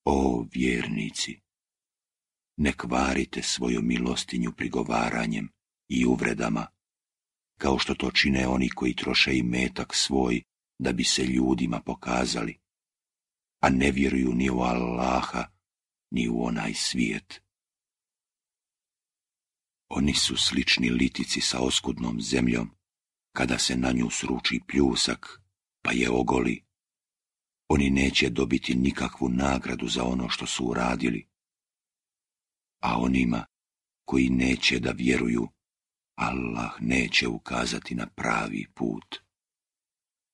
O vjernici, ne kvarite svoju milostinju prigovaranjem i uvredama, kao što to čine oni koji troše imetak svoj da bi se ljudima pokazali, a ne vjeruju ni u Allaha, ni u onaj svijet. Oni su slični litici sa oskudnom zemljom, kada se na nju sruči pljusak, pa je ogoli. Oni neće dobiti nikakvu nagradu za ono što su uradili, a onima koji neće da vjeruju, Allah neće ukazati na pravi put.